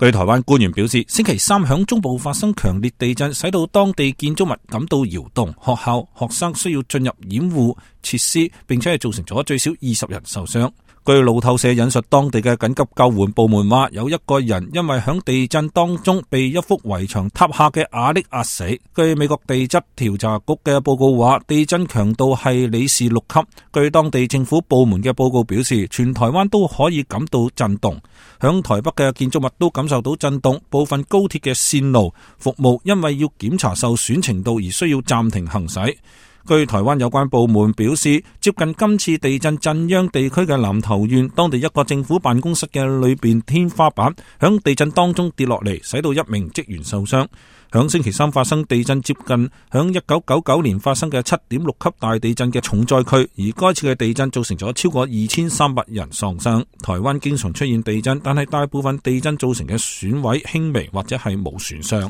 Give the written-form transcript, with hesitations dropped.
據台灣官員表示，星期三響中部發生強烈地震，使到當地建築物感到搖動，學校、學生需要進入掩護設施，並且係造成咗最少20人受傷。據路透社引述當地嘅緊急救援部門話，有一個人因為響地震當中被一幅圍牆塌下嘅瓦礫壓死。據美國地質調查局嘅報告話，地震強度係里氏6級。據當地政府部門嘅報告表示，全台灣都可以感到震動，響台北嘅建築物都感受到震動，部分高鐵嘅線路服務因為要檢查受損程度而需要暫停行駛。據台灣有關部門表示，接近今次地震震央地區嘅南投縣，當地一個政府辦公室嘅裏邊天花板響地震當中跌落嚟，使到一名職員受傷。響星期三發生地震，接近響1999年發生嘅7.6級大地震嘅重災區，而該次嘅地震造成咗超過2300人喪生。台灣經常出現地震，但係大部分地震造成嘅損毀輕微或者係冇損傷。